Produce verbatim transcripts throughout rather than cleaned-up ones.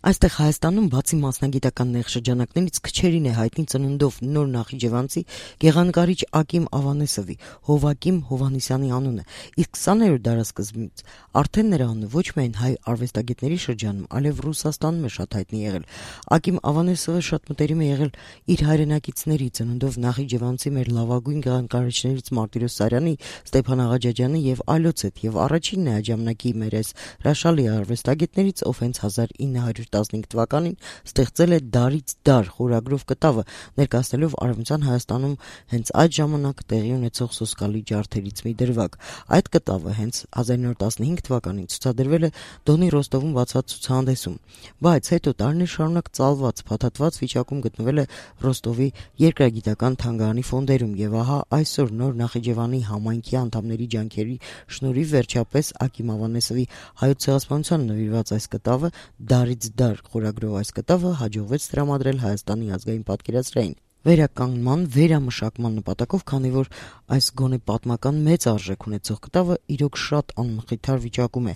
Այստեղ Հայաստանում բացի մասնագիտական նեղ շրջանակներից քչերին է հայտնի ծնունդով նոր Նախիջևանցի գեղանկարիչ Ակիմ Ավանեսովի, Հովակիմ Հովհաննիսյանի անունը, իսկ քսաներորդ դարասկզբից արդեն նրա անունը ոչ միայն հայ արվեստագետների շրջանում, այլև Ռուսաստանում է շատ հայտնի եղել։ Ակիմ Ավանեսովը շատ մտերիմ է եղել իր հայրենակիցների ծնունդով Նախիջևանցի մեր լավագույն գեղանկարիչներից Մարտիրոս Սարյանի, Ստեփան Աղաջաջյանի եւ այլոց հետ, եւ առաջինն է այդ ժամանակի մեր այս հրաշալի արվեստագետներից, ով հենց հազար ինը հարյուր տասնհինգ թվականին ստեղծել է «Դարից դար» խորագրով կտավը, ներկայացնելով Արևմտյան Հայաստանում հենց այդ ժամանակ տեղի ունեցող սոսկալի ջարդերից մի դրվագ։ Այդ կտավը հենց հազար ինը հարյուր տասնհինգ թվականին ցուցադրվել է Դոնի Ռոստովում բացված ցուցահանդեսում, բայց հետո տարիներ շարունակ ծալված, փաթաթված վիճակում գտնվել է Ռոստովի երկրագիտական թանգարանի ֆոնդերում, եւ ահա այսօր նոր Նախիջևանի համայնքի անդամների ջանքերի շնորհիվ վերջապես Ակիմ Ավանեսովի հայոց ցեղասպանությանը նվիրված այս կտավը «Դարից դար» խորագրով այս կտավը հաջողվեց տրամադրել Հայաստանի ազգային պատկերասրահին վերականգնման, վերամշակման նպատակով, քանի որ այս գոնե պատմական մեծ արժեք ունեցող կտավը իրոք շատ անմխիթար վիճակում է,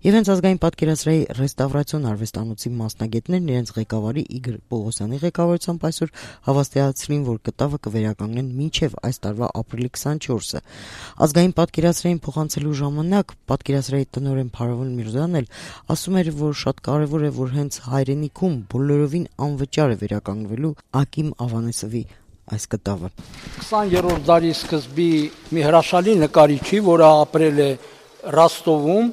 եւ հենց ազգային պատկերասրահի ռեստավրացիոն արվեստանոցի մասնագետներն իրենց ղեկավարի Իգոր Պողոսյանի ղեկավարությամբ այսօր հավաստիացրին, որ կտավը կվերականգնեն մինչեւ այս տարվա ապրիլի քսանչորսը։ Ազգային պատկերասրահին փոխանցելու ժամանակ պատկերասրահի տնօրեն Փարավոն Միրզոյանն էլ ասում էր, որ շատ կարեւոր է, որ հենց հայրենիքում բոլորովին անվճար է վերականգնվելու Ակիմ Ավանեսովի այս կտավը։ քսաներորդ դարի սկզբի մի հրաշալի նկարիչի, որը ապրել է Ռոստովում,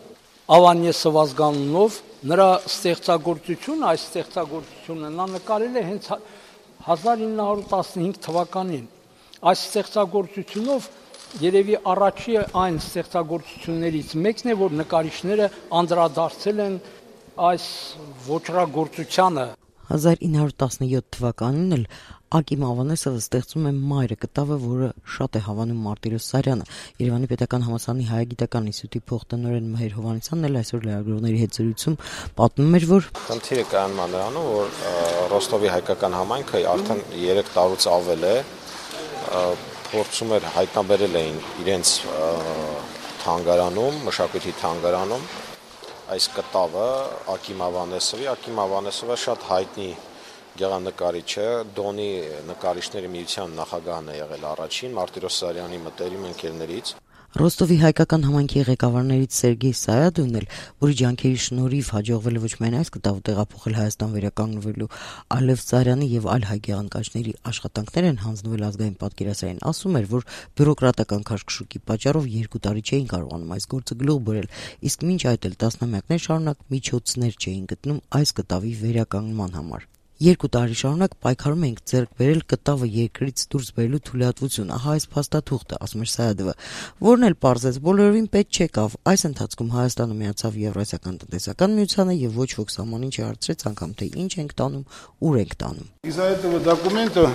Ավանեսով ազգանունով, նրա ստեղծագործությունը, այս ստեղծագործությունը նա նկարել է հենց հազար ինը հարյուր տասնհինգ թվականին։ Այս ստեղծագործությունով երևի առաջի այն ստեղծագործություններից մեկն է, որ նկարիչները անդրադարձել են այս ոճրագործությանը։ հազար ինը հարյուր տասնյոթ թվականին էլ Ակիմ Ավանեսովը ստեղծում է «Մայրը» կտավը, որը շատ է հավանում Մարտիրոս Սարյանը։ Երևանի պետական համալսարանի հայագիտական ինստիտուտի փոխտնօրեն Մհեր Հովհաննիսյանն էլ այսօր լրագրողների հետ զրույցում պատմում էր, որ խնդիրը կայանում է նրանում, որ Ռոստովի հայկական համայնքը արդեն երեք տարուց ավել է փորձում էր հայտնաբերել էին իրենց թանգարանում, մշակույթի թանգարանում այս կտավը Ակիմ Ավանեսովի, Ակիմ Ավանեսովը շատ հայտնի գեղանկարիչ է, Դոնի նկարիչների միության նախագահն է եղել առաջին, Մարտիրոս Սարյանի մտերիմ ընկերներից։ Ռոստովի հայկական համայնքի ղեկավարներից Սերգեյ Սայադուն էլ, որի ջանքերի շնորհիվ հաջողվել է ոչ միայն այս կտավը տեղափոխել Հայաստան վերականգնվելու, այլև Սարյանի եւ այլ հայ գեղանկարիչների աշխատանքներ են հանձնվել ազգային պատկերասրահին, ասում էր, որ բյուրոկրատական քաշքշուկի պատճառով երկու տարի չէին կարողանում այս գործը գլուխ բերել, իսկ մինչ այդ էլ տասնամյակներ շարունակ միջոցներ չէին գտնում այս կտավի վերականգնման համար։ Երկու տարի շարունակ պայքարում ենք ձեռք բերել կտավը երկրից դուրս բերելու թույլատվություն, ահա այս փաստաթուղթը, ասում էր Սայադովը, որն էլ պարզեց բոլորովին պետք չեկավ։ Այս ընթացքում Հայաստանը միացավ Եվրասիական տնտեսական միությանը եւ ոչ ոք սահմանին չհարցրեց անգամ, թե ինչ ենք տանում, ուր ենք տանում։ Из-за этого документа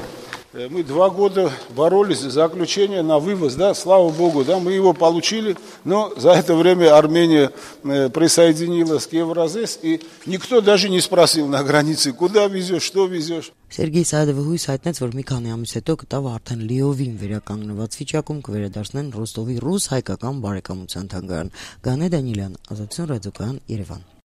мы два года боролись за заключение на вывоз, да, слава богу, да, мы его получили, но за это время Армения присоединилась к Евразес, и никто даже не спросил на границе, куда везешь, что везешь. Սերգեյ Սայադովը հույս հայտնեց, որ մի քանի ամիս հետո կտավը արդեն լիովին վերականգնված վիճակում կվերադառնեն Ռոստովի ռուս-հայկական բարեկամության թանգարան։ Գանե Դանիելյան, Ազատություն ռադիոկայան, Երևան։